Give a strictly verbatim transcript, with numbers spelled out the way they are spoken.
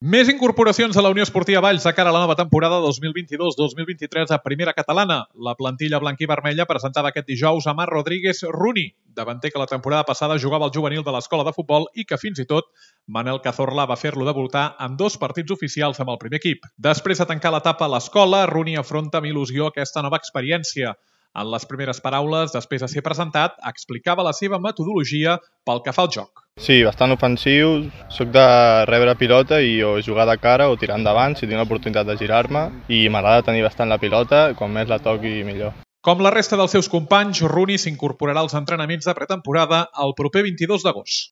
Més incorporacions a la Unió Esportiva Valls de cara a la nova temporada dos mil vint-i-dos dos mil vint-i-tres a Primera Catalana. La plantilla blanc-i-vermella presentava aquest dijous a Marc Rodríguez Runi, davanter que la temporada passada jugava al juvenil de l'escola de futbol i que fins i tot Manel Cazorla va fer-lo debutar en dos partits oficials amb el primer equip. Després de tancar l'etapa a l'escola, Runi afronta amb il·lusió aquesta nova experiència. En les primeres paraules, després de ser presentat, explicava la seva metodologia pel que fa al joc. Sí, bastant ofensiu, soc de rebre pilota i o jugar de cara o tirar endavant si tinc l'oportunitat de girar-me i m'agrada tenir bastant la pilota, quan més la toqui millor. Com la resta dels seus companys, Runi s'incorporarà als entrenaments de pretemporada el proper vint-i-dos d'agost.